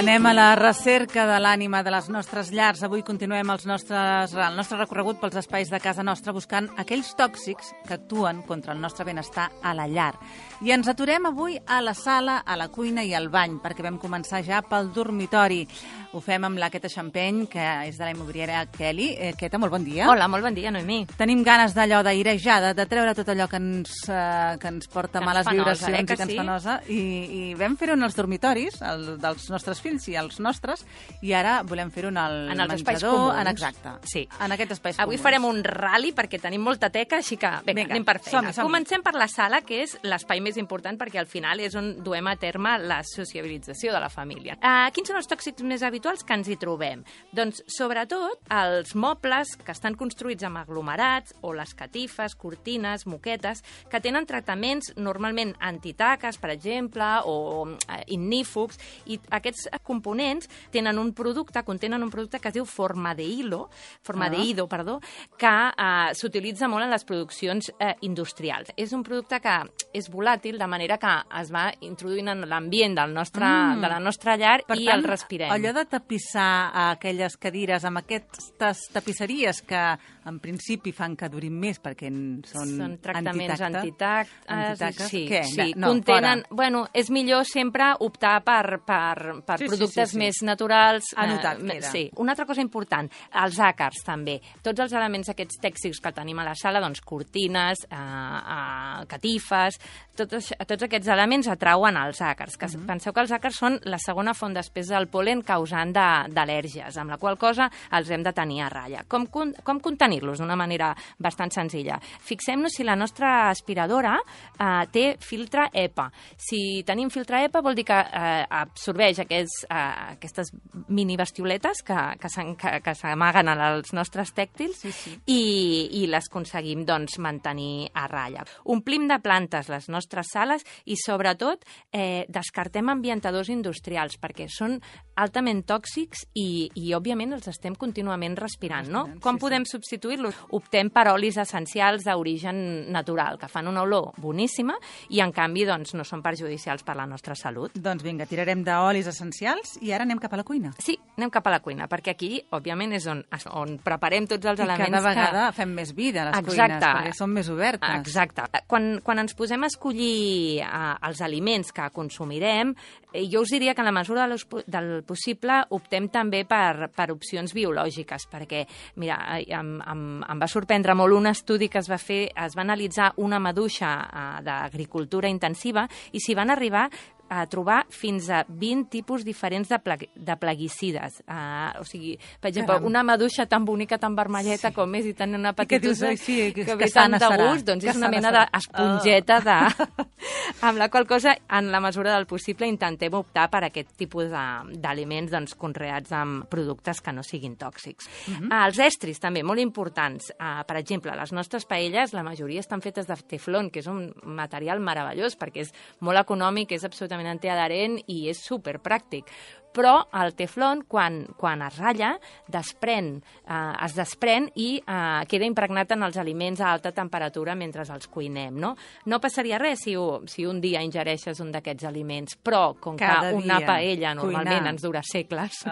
Anem a la recerca de l'ànima de les nostres llars. Avui continuem el nostre recorregut pels espais de casa nostra buscant aquells tòxics que actuen contra el nostre benestar a la llar. I ens aturem avui a la sala, a la cuina i al bany, perquè vam començar ja pel dormitori. Ho fem amb la Queta Champagne, que és de la immobiliària Kelly. Queta, molt bon dia. Hola, molt bon dia, Noemí. Tenim ganes d'allò d'airejar, de treure tot allò que ens porta males vibracions i que ens fa nosa. I vam fer-ho en els dormitoris, dels nostres fills i els nostres, i ara volem fer-ho en el menjador. Exacte. Sí. En aquests espais comuns. Avui farem un rally perquè tenim molta teca, així que vinga, anem per feina. Comencem per la sala, que és l'espai més important perquè al final és on duem a terme la sociabilització de la família. Quins són els tòxics més habituals que ens hi trobem? Doncs, sobretot, els mobles que estan construïts amb aglomerats o les catifes, cortines, moquetes, que tenen tractaments normalment antitaques, per exemple, o ignífugs, i aquests components contenen un producte que es diu formadehído, que s'utilitza molt en les produccions industrials. És un producte que és volàtil, de manera que es va introduint en l'ambient de la nostra llar i el respirem. Allò de tapissar aquelles cadires amb aquestes tapisseries que en principi fan que durin més perquè són tractaments antitactes. Sí, contenen... Bueno, és millor sempre optar per productes més naturals. Sí. Una altra cosa important, els àcars també. Tots els elements aquests tèxtils que tenim a la sala, doncs cortines, catifes, tots aquests elements atrauen els àcars. Penseu que els àcars són la segona font després del pol·len causant d'al·lèrgies, amb la qual cosa els hem de tenir a ratlla. Com contenir-los? D'una manera bastant senzilla. Fixem-nos si la nostra aspiradora té filtre EPA. Si tenim filtre EPA vol dir que absorbeix aquestes mini bestioletes que s'amaguen als nostres tèctils i les aconseguim mantenir a ratlla. Omplim de plantes les nostres sales i, sobretot, descartem ambientadors industrials perquè són altament tòxics i òbviament, els estem contínuament respirant, no? Com podem substituir-los? Optem per olis essencials d'origen natural, que fan una olor boníssima i, en canvi, no són perjudicials per la nostra salut. Doncs vinga, tirarem d'olis essencials i ara anem cap a la cuina. Sí, anem cap a la cuina, perquè aquí, òbviament, és on preparem tots els elements. I cada vegada fem més vida a les cuines, perquè són més obertes. Exacte. Quan ens posem a escollir els aliments que consumirem, jo us diria que en la mesura del possible optem també per opcions biològiques, perquè, mira, em va sorprendre molt un estudi que es va analitzar una maduixa d'agricultura intensiva i s'hi van arribar a trobar fins a 20 tipus diferents de plaguicides. O sigui, per exemple, una maduixa tan bonica, tan vermelleta com és i tan una petitosa que ve tant de gust, doncs és una mena d'esponjeta amb la qual cosa, en la mesura del possible, intentem optar per aquest tipus d'aliments conreats amb productes que no siguin tòxics. Els estris, també, molt importants. Per exemple, les nostres paelles, la majoria estan fetes de teflon, que és un material meravellós perquè és molt econòmic, és absolutament antiadherent i és superpràctic. Però el teflon, quan es ratlla, es desprèn i queda impregnat en els aliments a alta temperatura mentre els cuinem. No passaria res si un dia ingereixes un d'aquests aliments, però com que una paella normalment ens dura segles,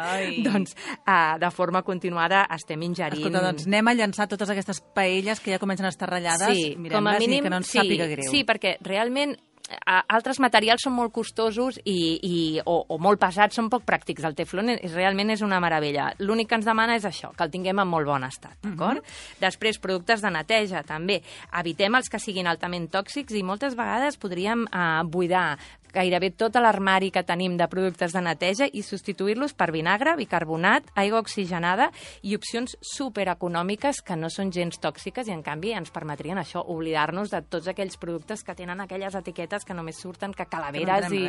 doncs de forma continuada estem ingerint... Escolta, doncs anem a llançar totes aquestes paelles que ja comencen a estar ratllades, mirem-les i que no ens sàpiga greu. Sí, perquè realment altres materials són molt costosos o molt pesats, són poc pràctics. El teflon realment és una meravella. L'únic que ens demana és això, que el tinguem en molt bon estat, d'acord? Després, productes de neteja, també. Evitem els que siguin altament tòxics i moltes vegades podríem buidar gairebé tot l'armari que tenim de productes de neteja i substituir-los per vinagre, bicarbonat, aigua oxigenada i opcions supereconòmiques que no són gens tòxiques i, en canvi, ens permetrien això, oblidar-nos de tots aquells productes que tenen aquelles etiquetes que només surten que calaveres i...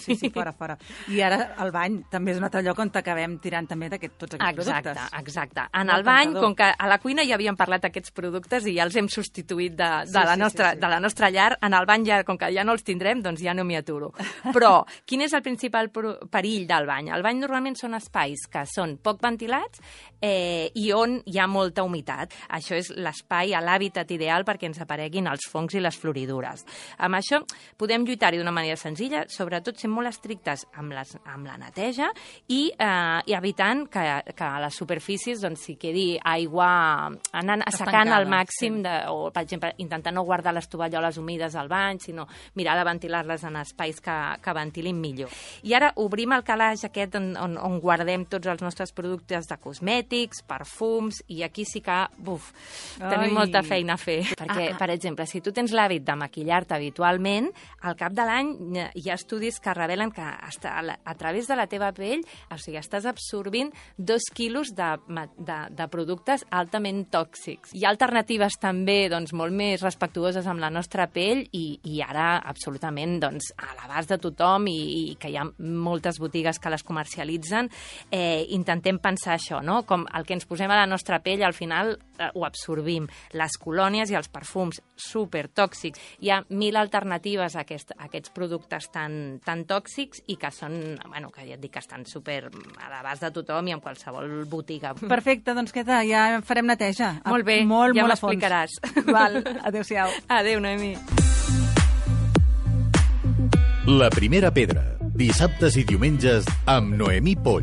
Sí, fora. I ara el bany també és un altre lloc on acabem tirant també tots aquests productes. Exacte. En el bany, com que a la cuina ja havíem parlat d'aquests productes i ja els hem substituït de la nostra llar, en el bany, com que ja no els tindrem, doncs ja no m'hi aturo. Però quin és el principal perill del bany? El bany normalment són espais que són poc ventilats, i on hi ha molta humitat. Això és l'espai, l'hàbitat ideal perquè ens apareguin els fongs i les floridures. Amb això podem lluitar-hi d'una manera senzilla, sobretot sent molt estrictes amb la neteja i evitant que a les superfícies s'hi quedi aigua anant assecant al màxim, o, per exemple, intentar no guardar les tovalloles humides al bany, sinó mirar de ventilar-les en espais que ventilin millor. I ara obrim el calaix aquest on guardem tots els nostres productes de cosmètics, perfums, i aquí sí que, tenim molta feina a fer. Perquè, per exemple, si tu tens l'hàbit de maquillar-te habitualment, al cap de l'any hi ha estudis que revelen que a través de la teva pell, o sigui, estàs absorbint 2 quilos de productes altament tòxics. Hi ha alternatives també molt més respectuoses amb la nostra pell i ara absolutament a l'abast de tothom i que hi ha moltes botigues que les comercialitzen. Intentem pensar això, no? Com el que ens posem a la nostra pell al final ho absorbim. Les colònies i els perfums supertòxics. Hi ha 1000 alternatives a aquests productes tan tòxics i que són, que ja et dic que estan super a l'abast de tothom i en qualsevol botiga. Perfecte, doncs ja farem neteja. Molt bé, ja m'explicaràs. Val, adéu-siau. Adéu, Noemí. La primera pedra, dissabtes i diumenges amb Noemí Poll.